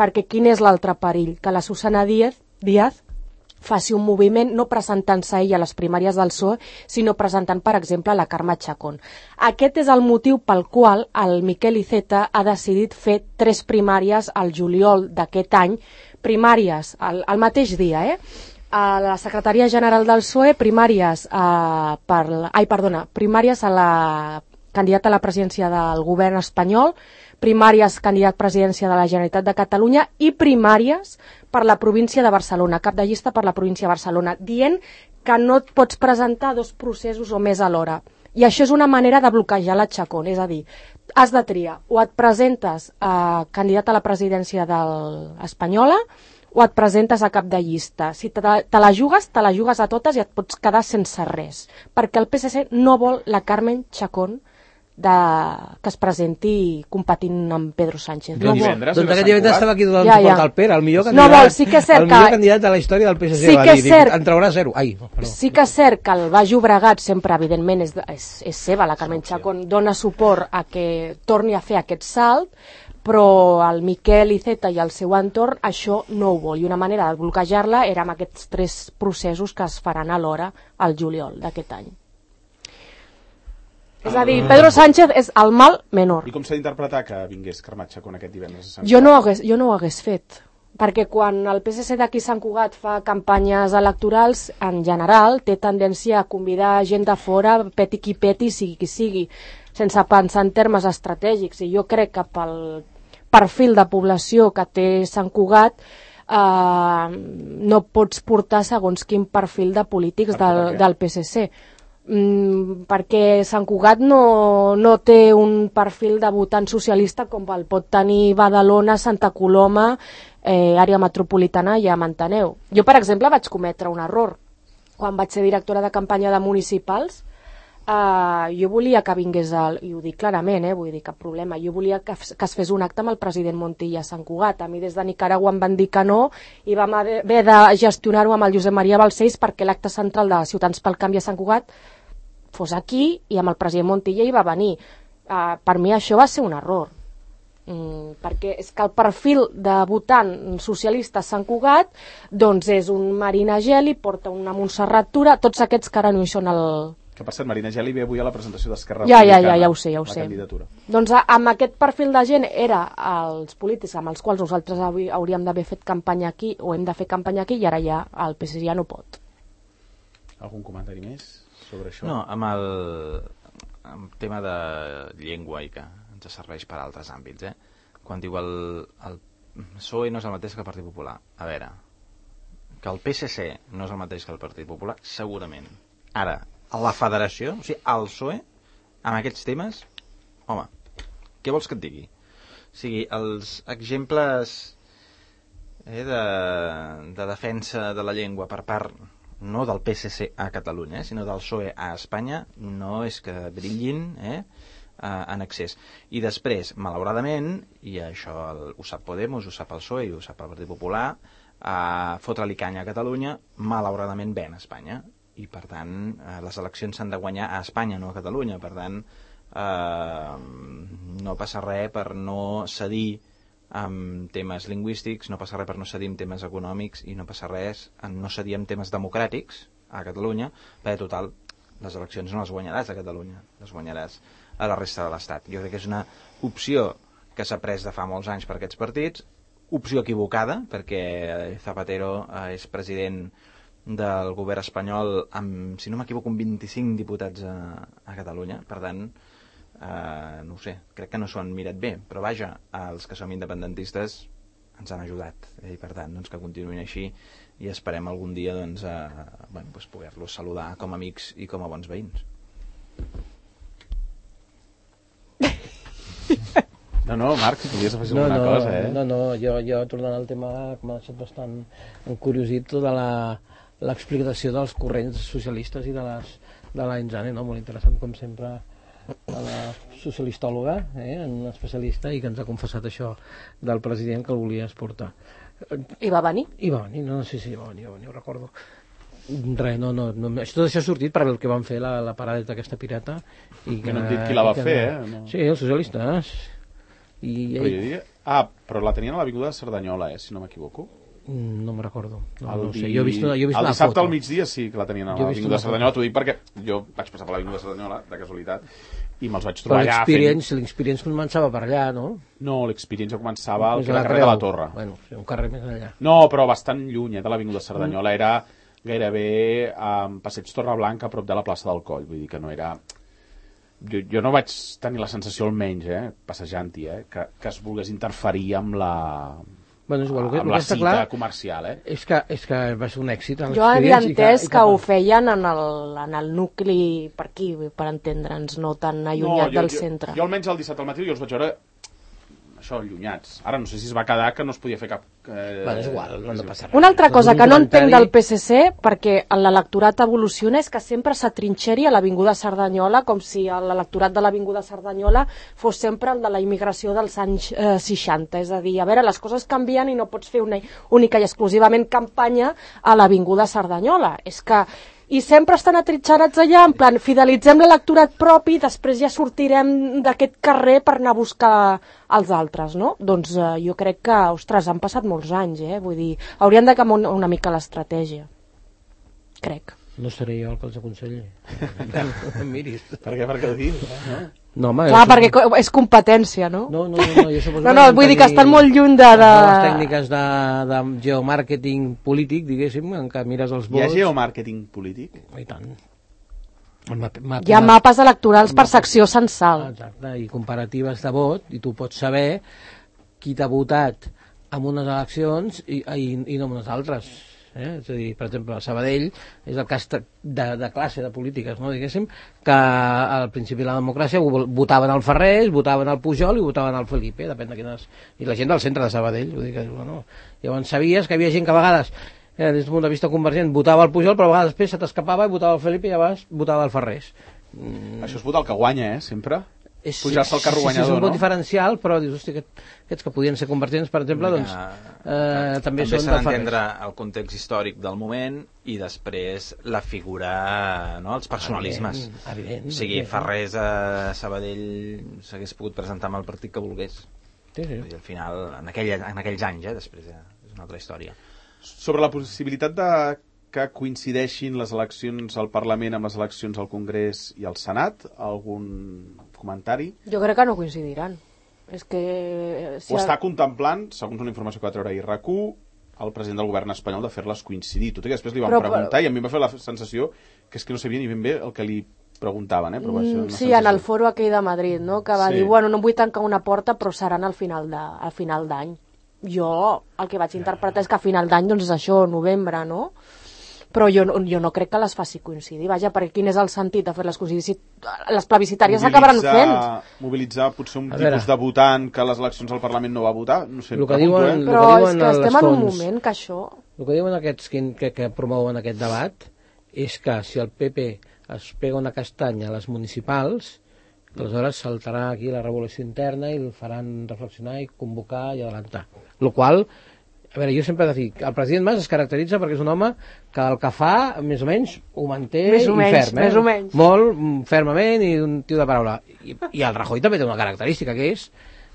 Perquè quin és l'altre perill? Que la Susana Díaz, Díaz faci un moviment no presentant-se ella a les primàries del P S O E, sinó presentant, per exemple, la Carme Chacón. Aquest és el motiu pel qual el Miquel Iceta ha decidit fer tres primàries al juliol d'aquest any, primàries al, al mateix dia, eh? A la Secretaria General del P S O E, primàries a, per, ai, perdona, primàries a la candidata a la presidència del govern espanyol, primàries candidat a presidència de la Generalitat de Catalunya i primàries per la província de Barcelona, cap de llista per la província de Barcelona, dient que no et pots presentar dos processos o més alhora. I això és una manera de bloquejar la Chacón, és a dir, has de triar, o et presentes a candidat a la presidència de l'Espanyola o et presentes a cap de llista. Si te, te la jugues, te la jugues a totes i et pots quedar sense res, perquè el P S C no vol la Carmen Chacón de... que es presenti competint amb Pedro Sánchez. No divendres, doncs aquest divendres estava aquí donant ja, suport ja. al Pere, el millor No candidat, vol, sí que és cert el millor que- candidat de la història del P S C. Sí va que dir, és cert. En traurà zero. Ai, perdó. Sí que és cert que el Baix Llobregat sempre, evidentment, és, és, és seva, la Carmen Chacón dona suport a que torni a fer aquest salt, però el Miquel Iceta i el seu entorn això no ho vol, i una manera de bloquejar-la era amb aquests tres processos que es faran alhora al juliol d'aquest any. És a dir, Pedro Sánchez és el mal menor. I com s'ha d'interpretar que vingués Carmen Chacón aquest divendres a Sant Jo no, ho hagués, jo no ho hagués fet, perquè quan el P S C d'aquí Sant Cugat fa campanyes electorals, en general, té tendència a convidar gent de fora, peti qui peti, sigui qui sigui, sense pensar en termes estratègics, i jo crec que pel perfil de població que té Sant Cugat eh, no pots portar segons quin perfil de polítics del, del P S C. Mm, perquè Sant Cugat no, no té un perfil de votant socialista com el pot tenir Badalona, Santa Coloma, eh, àrea metropolitana, ja m'enteneu. Jo, per exemple, vaig cometre un error. Quan vaig ser directora de campanya de municipals, eh, jo volia que vingués, el, i ho dic clarament, eh, vull dir, cap problema, jo volia que, que es fes un acte amb el president Montilla a Sant Cugat. A mi des de Nicaragua em van dir que no, i vam haver de gestionar-ho amb el Josep Maria Balcells perquè l'acte central de Ciutadans pel Canvi a Sant Cugat fos aquí, i amb el president Montilla hi va venir. Uh, per mi això va ser un error, mm, perquè és que el perfil de votant socialista a Sant Cugat doncs és un Marina Geli, porta una Montserrat Tura, tots aquests que ara no hi són el... Que per cert, Marina Geli ve avui a la presentació d'Esquerra Ja, ja, Republicana. ja, ja ho sé, ja ho la sé. candidatura. Doncs a, amb aquest perfil de gent era els polítics amb els quals nosaltres avui hauríem d'haver fet campanya aquí, o hem de fer campanya aquí, i ara ja el P S C ja no pot. Algun comentari més sobre això? No, amb el, amb el tema de llengua i que ens serveix per altres àmbits, eh? Quan diu el, el P S O E no és el mateix que el Partit Popular. A veure, que el P S C no és el mateix que el Partit Popular, segurament. Ara, a la federació, o sigui, al P S O E, amb aquests temes, home, què vols que et digui? O sigui, els exemples eh, de, de defensa de la llengua per part no del P S C a Catalunya, eh, sinó del P S O E a Espanya, no és que brillin eh, en excés. I després, malauradament, i això el, ho sap Podemos, ho sap el P S O E i ho sap el Partit Popular, eh, fotre-li canya a Catalunya, malauradament ven a Espanya. I per tant, eh, les eleccions s'han de guanyar a Espanya, no a Catalunya. Per tant, eh, no passa res per no cedir amb temes lingüístics, no passa res per no cedir amb temes econòmics, i no passa res en no cedir amb temes democràtics a Catalunya, perquè total, les eleccions no les guanyaràs a Catalunya, les guanyaràs a la resta de l'Estat. Jo crec que és una opció que s'ha pres de fa molts anys per aquests partits, opció equivocada, perquè Zapatero és president del govern espanyol amb, si no m'equivoco, amb vint-i-cinc diputats a, a Catalunya. Per tant, Uh, no ho sé, crec que no s'ho han mirat bé, però vaja, els que som independentistes ens han ajudat, eh? I per tant doncs, que continuïn així, i esperem algun dia doncs, uh, bueno, doncs, poder-los saludar com a amics i com a bons veïns. No, no, Marc, si podies afegir No, alguna no, cosa, eh? no, no, jo, jo tornant al tema que m'ha deixat bastant encuriosit tota la l'explicació dels corrents socialistes i de les de la Inzane, no? Molt interessant com sempre a la socialistòloga, eh, un especialista, i que ens ha confessat això del president que el volia exportar. I va venir? I va venir, no, no sé si va venir, va venir, ho recordo. Res, no, no, no, tot això ha sortit per el que van fer la, la paradeta aquesta pirata. I que, no han dit qui la va que, fer, eh? No. Sí, els socialistes. I, Però jo diria... Ah, però la tenien a l'Avinguda de Cerdanyola, eh, si no m'equivoco. No me'n recordo. No, El, no ho sé. Jo he vist, jo he vist el una dissabte foto. al migdia sí que la tenien a Jo he vist l'Avinguda de una Cerdanyola, foto. t'ho dic perquè jo vaig passar per l'Avinguda de Cerdanyola, de casualitat, i me'ls vaig Però trobar allà fent... l'experience, l'experience començava per allà, no? No, l'experiència començava al Més a carrer la de Creu. la Torre. Bueno, sí, un carrer més enllà. No, però bastant lluny, eh, de l'Avinguda de Cerdanyola. Era gairebé a Passeig Torreblanca, a prop de la plaça del Coll. Vull dir que no era... Jo, jo no vaig tenir la sensació, almenys, eh, passejant-hi, eh, que, que es volgués interferir amb la Bueno, és igual, el que, amb el la que està cita clar comercial, eh? és que, és que va ser un èxit. Jo havia entès que, que ho feien en el, en el nucli per aquí, per entendre'ns, no tan allunyat no, jo, del jo, centre. Jo almenys el dissabte al matí jo els vaig veure això, allunyats. Ara no sé si es va quedar que no es podia fer cap... Eh... Bueno, és igual, no, no passa res. Una altra cosa que no comentari... entenc del P S C, perquè l'electorat evoluciona, és que sempre s'atrinxeri a l'Avinguda Cerdanyola, com si l'electorat de l'Avinguda Cerdanyola fos sempre el de la immigració dels anys eh, seixanta. És a dir, a veure, les coses canvien i no pots fer una única i exclusivament campanya a l'Avinguda Cerdanyola. És que... I sempre estan atritxarats allà, en plan, fidelitzem l'electorat propi, després ja sortirem d'aquest carrer per anar a buscar els altres, no? Doncs eh, jo crec que, ostres, han passat molts anys, eh? Vull dir, haurien de canviar una, una mica l'estratègia. Crec. No seré jo el que els aconselli. Miris. Per què? Per què ho dius? No? No, home, Clar, jo... perquè és competència, no? No, no, no, jo suposo no, no, vull dir que estan molt lluny de... de... les tècniques de, de geomàrqueting polític, diguéssim, en què mires els vots... Hi ha geomàrqueting polític? I tant. Map, map, Hi ha mapes electorals per secció censal. Exacte, i comparatives de vot, i tu pots saber qui t'ha votat en unes eleccions i, i, i no en unes altres. Eh? És a dir, per exemple, a Sabadell és el cas de, de classe de polítiques, no? Diguéssim, que al principi de la democràcia votaven al Ferrés, votaven al Pujol i votaven al Felipe, depèn de quines... I la gent del centre de Sabadell, vull dir que, bueno, llavors sabies que hi havia gent que a vegades, eh, des d'un punt de vista convergent, votava al Pujol, però a vegades després se t'escapava i votava al Felipe i llavors votava al Ferrés. Mm. Això és votar el que guanya, eh, sempre? És, pujar-se al carro sí, guanyador, sí, és un vot no? diferencial, però dius, hosti, aquest, aquests que podien ser convergents, per exemple, que, doncs, eh, també, també són s'ha de d'entendre el context històric del moment i després la figura, no, els personalismes. Evident, evident, o sigui, evident. Ferrés a Sabadell s'hagués pogut presentar amb el partit que volgués. Sí, sí. I al final, en, aquell, en aquells anys, eh, després ja, és una altra història. Sobre la possibilitat de que coincideixin les eleccions al Parlament amb les eleccions al Congrés i al Senat, algun comentari? Jo crec que no coincidiran. És que... Si Ho està contemplant, segons una informació que va treure ahir RAC u, el president del govern espanyol de fer-les coincidir. Tot i que després li van però, preguntar però... i a mi em va fer la sensació que és que no sabia ni ben bé el que li preguntaven, eh? Però va ser una sí, sensació. en el foro aquell de Madrid, no? Que va Sí. dir, bueno, no em vull tancar una porta, però seran al final de, al final d'any. Jo el que vaig interpretar és que a final d'any, doncs és això, novembre, no? Però jo, jo no crec que les faci coincidir. Vaja, perquè quin és el sentit de fer-les coincidir? Si les plebiscitàries s'acabaran fent. Mobilitzar potser un A tipus veure. de votant que a les eleccions al Parlament no va votar? No sé, El que pregunto, diuen- eh? Però que és diuen que a les estem en un fonts. moment que això... El que diuen aquests que, que, que promouen aquest debat és que si el P P es pega una castanya a les municipals, aleshores saltarà aquí la revolució interna i el faran reflexionar i convocar i adelantar. Lo qual, a veure, jo sempre he de dir que el president Mas es caracteritza perquè és un home que el que fa, més o menys, ho manté Més o i menys, ferm, eh? més o menys. Molt mm, fermament i un tio de paraula. I, i el Rajoy també té una característica, que és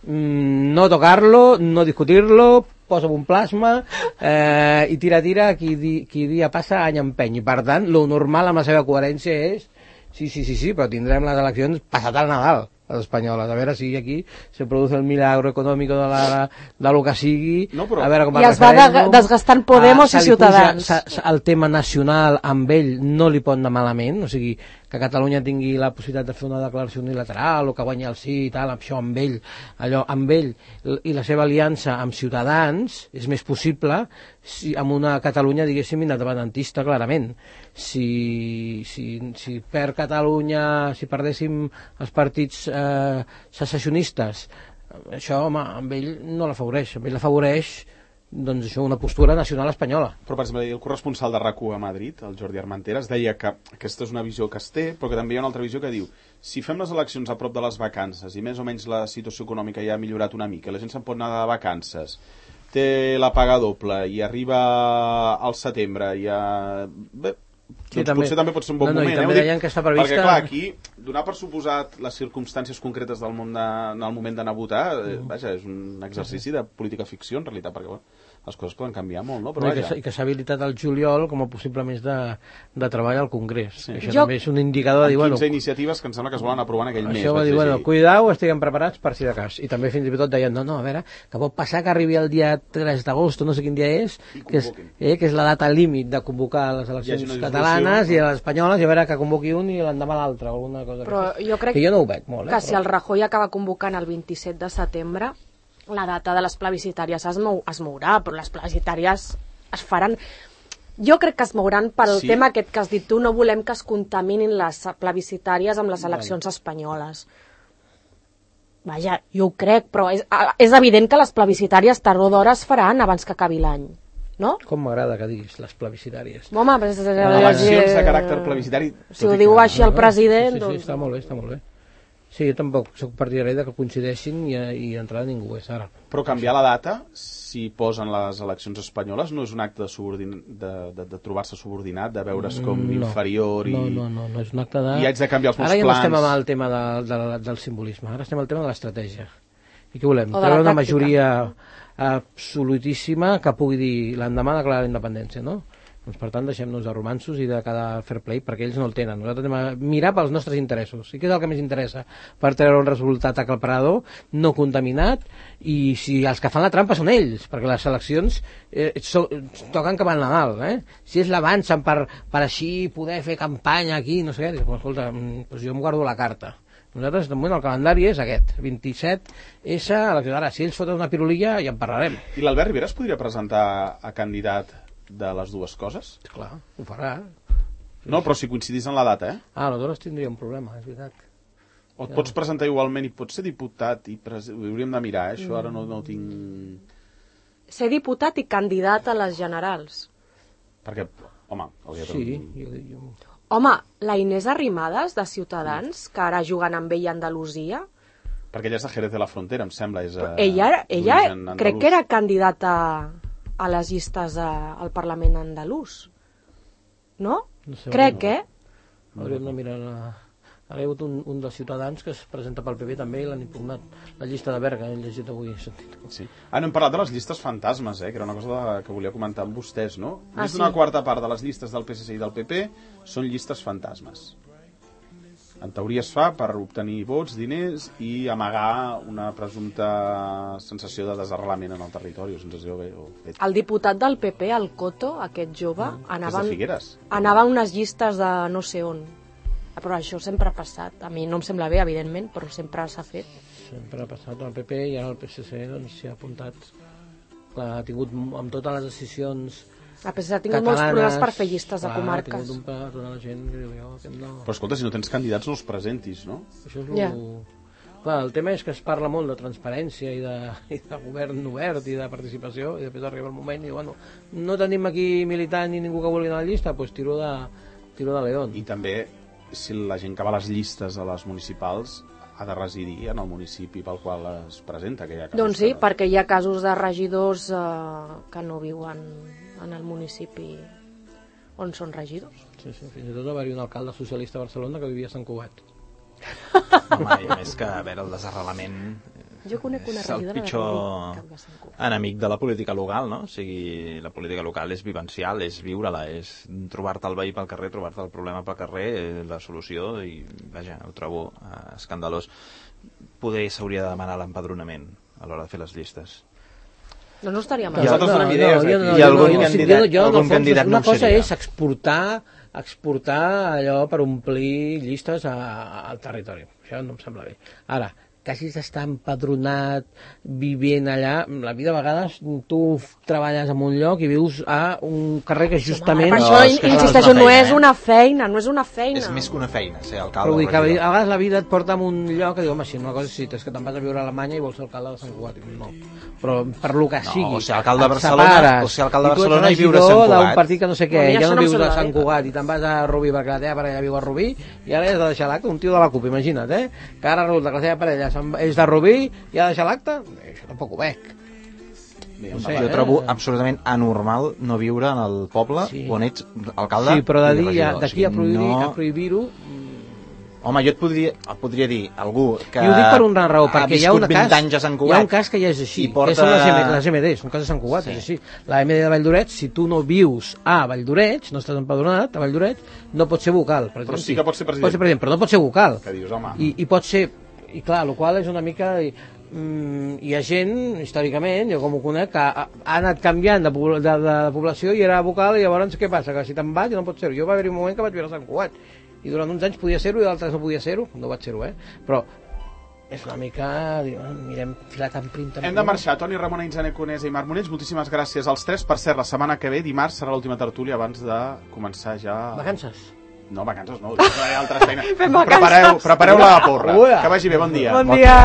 mm, no tocar-lo, no discutir-lo, posa un plasma eh, i tira, tira, qui, di, qui dia passa any empeny. I per tant, lo normal amb la seva coherència és sí, sí, sí, sí, però tindrem les eleccions passat el Nadal, les espanyoles, a veure si aquí se produce el milagro econòmic de, la, de lo que sigui, No, però- a veure com I es va de, desgastant Podemos se i li puja- Ciutadans. se- se- el tema nacional amb ell no li pot anar malament, o sigui, que Catalunya tingui la possibilitat de fer una declaració unilateral o que guanyi el sí i tal, això amb ell, allò amb ell i la seva aliança amb Ciutadans és més possible si, amb una Catalunya, diguéssim, independentista, clarament. Si, si, si per Catalunya, si perdéssim els partits eh, secessionistes, això, home, amb ell no l'afavoreix, amb ell l'afavoreix doncs això, una postura nacional espanyola. Però, per exemple, el corresponsal de RAC u a Madrid, el Jordi Armenteres, deia que aquesta és una visió que es té, però que també hi ha una altra visió que diu si fem les eleccions a prop de les vacances i més o menys la situació econòmica ja ha millorat una mica, la gent se'n pot anar de vacances, té la paga doble i arriba al setembre i a... Bé, Sí, doncs també. potser també pot ser un bon No, no, i moment. també eh? Ho dic deien que està prevista- Perquè, clar, aquí, donar per suposat les circumstàncies concretes del món de, en el moment d'anar a votar, eh, vaja, és un exercici de política ficció, en realitat, perquè bueno, les coses poden canviar molt, no? Però No, i, que, vaja. s'ha- i que s'ha habilitat el juliol com a possible més de, de treball al Congrés. Sí. Això Jo- també és un indicador de dir, bueno, quinze iniciatives que em sembla que es volen aprovar en aquell mes. això va vaig dir, bueno, llegir. cuidao, estiguem preparats per si de cas. I també fins i tot deien, no, no, a veure, que pot passar que arribi el dia tres d'agost, no sé quin dia és, I que és, convoquin. eh, que és la data límit de convocar les Hi eleccions hagi una catalanes dissolució. i les espanyoles, i a veure que convoqui un i l'endemà l'altre, o alguna cosa Però que, jo crec que jo no ho veig molt, eh, que si però- el Rajoy acaba convocant el vint-i-set de setembre, la data de les plebiscitàries es, mou, es mourà, però les plebiscitàries es faran... Jo crec que es mouran pel sí. tema aquest que has dit tu, no volem que es contaminin les plebiscitàries amb les eleccions espanyoles. Vaja, jo ho crec, però és, és evident que les plebiscitàries tard o d'hora es faran abans que acabi l'any, no? Com m'agrada que diguis les plebiscitàries. Home, però... Eleccions de caràcter plebiscitari... Si ho diu així el president... Sí, sí, sí, està molt bé, està molt bé. Sí, jo tampoc soc partidari de que coincideixin i, i d'entrada ningú és ara. Però canviar la data, si posen les eleccions espanyoles, no és un acte de, subordin... de, de, de trobar-se subordinat, de veure's com no, inferior i... No, no, no, no és un acte de... I haig de canviar els meus ara ja plans... Ara ja no estem amb el tema de, de, del simbolisme, ara estem al tema de l'estratègia. I què volem? Treure una majoria absolutíssima que pugui dir l'endemà declarar la independència, no? Doncs, per tant, deixem-nos de romanços i de cada fair play, perquè ells no el tenen. Nosaltres anem a mirar pels nostres interessos. I què és el que més interessa? Per treure un resultat aclaparador, no contaminat, i si els que fan la trampa són ells, perquè les eleccions eh, so, toquen cap al Nadal, eh? Si és l'avancen per, per així poder fer campanya aquí, no sé què, doncs, escolta, doncs jo em guardo la carta. Nosaltres, de moment, el calendari és aquest, vint-i-set essa, ara, si ells foten una pirulilla, ja en parlarem. I l'Albert Rivera es podria presentar a candidat de les dues coses? Clar, ho farà. No, però si coincidís en la data, eh? Ah, aleshores tindria un problema, és veritat. O et pots presentar igualment i pots ser diputat i pres... ho hauríem de mirar, eh? Això ara no, no ho tinc... Ser diputat i candidat a les generals. Perquè, home... Sí, jo, jo... Home, la Inés Arrimadas, de Ciutadans, que ara juguen amb ell a Andalusia... Perquè ella és de Jerez de la Frontera, em sembla. És, uh, ella, ella crec que era candidata a les llistes a, al Parlament andalús. No? No sé, crec, no. eh? Hauríem de mirar... La... Ara hi ha hagut un, un dels ciutadans que es presenta pel P P també i l'han impugnat. La llista de Berga, he llegit avui. Sí. Ah, no hem parlat de les llistes fantasmes, eh? Que era una cosa de, que volia comentar amb vostès, no? Ah, Més sí? d'una quarta part de les llistes del P S C i del P P són llistes fantasmes. En teoria es fa per obtenir vots, diners i amagar una presumpta sensació de desarrelament en el territori o sensació bé, o fet. El diputat del P P, el Coto, aquest jove, mm, anava, és de Figueres. Anava a unes llistes de no sé on. Però això sempre ha passat. A mi no em sembla bé, evidentment, però sempre s'ha fet. Sempre ha passat al P P i ara el P S C doncs, s'hi ha apuntat. Clar, ha tingut amb totes les decisions el P S C ha tingut molts problemes per fer llistes de comarques. Ha tingut un pla, tota la gent que diu, jo, que no... Però escolta, si no tens candidats no els presentis, no? Això és lo... yeah. Clar, el tema és que es parla molt de transparència i de, i de govern obert i de participació i després arriba el moment i diu, bueno, no tenim aquí militant ni ningú que vulgui anar a la llista, doncs tiro de, tiro de León. I també, si la gent que va a les llistes a les municipals ha de residir en el municipi pel qual es presenta. Que hi ha doncs sí, que... perquè hi ha casos de regidors eh, que no viuen en el municipi on són regidors. Sí, sí, fins i tot va haver un alcalde socialista a Barcelona que vivia a Sant Cugat. Home, i a més que, a veure, el desarrelament jo conec una és el pitjor enemic de la política local, no? O sigui, la política local és vivencial, és viure-la, és trobar-te el veí pel carrer, trobar-te el problema pel carrer, la solució, i vaja, ho trobo eh, escandalós. Poder s'hauria de demanar l'empadronament a l'hora de fer les llistes. No, no estaria mal. Nosaltres donem idees no, aquí. No, I algun no, candidat, jo, jo, algun fons, candidat una no cosa seria. és exportar exportar allò per omplir llistes a, a, al territori. Això no em sembla bé. Ara, que hagis d'estar empadronat, vivint allà, la vida a vegades tu treballes en un lloc i vius a un carrer que justament... Per no, això, és que insisteixo, no no és és una feina, no és una feina. És més que una feina, ser alcalde. Però vull dir que a regidor. vegades la vida et porta a un lloc que diu, home, si una cosa sí, és que te'n vas a viure a Alemanya i vols ser alcalde de Sant Cugat. No, però per lo que No, sigui. o ser alcalde de et Barcelona, separes, o ser alcalde de i tu ets Barcelona i viure a Sant regidor Cugat. d'un partit que no sé què, Bueno, ja això no no em vius a sembla Sant bé. Cugat i te'n vas a Rubí perquè la teva parella viu a Rubí i ara has de deixar l'acte, un tio de la CUP, imagina't, eh? Que ara resulta que la teva parella és de Rubí i ha de deixar l'acte? Això tampoc ho veig. No sé, jo trobo absolutament anormal no viure en el poble sí. on ets alcalde sí, però i regidor. d'aquí a prohibir-ho no... a prohibir-ho Home, jo et podria, et podria dir algú que i ho dic per una raó, perquè hi ha, una cas, anys a Sant Cugat, hi ha un cas que ja és així, porta... que són les, M, les M Ds, un cas de Sant Cugat, sí. És així. La M D de Valldoret, si tu no vius a Valldoret, no estàs empadronat a Valldoret, no pots ser vocal. Per Però exemple, sí que pots ser president. Pots ser president, però no pots ser vocal. Que dius, home... I, i pot ser, i clar, el qual és una mica... Mm, hi ha gent, històricament, jo com ho conec, que ha, ha anat canviant de, de, de, de població i era vocal, i llavors què passa? Que si te'n vas ja no pots ser-ho. Jo va haver-hi un moment que vaig viure a Sant Cugat i durant uns anys podia ser-ho i d'altres no podia ser-ho, no vaig ser-ho, eh? Però és una mica... Mirem filat en prim també. Hem de marxar. Toni Ramona, Inzane Conesa i Marc Monells, moltíssimes gràcies als tres. Per cert, la setmana que ve, dimarts, serà l'última tertúlia abans de començar ja... Vacances? No, vacances no, faré altres feines. Fem vacances. Prepareu, prepareu la porra. Que vagi bé, bon dia. Bon dia.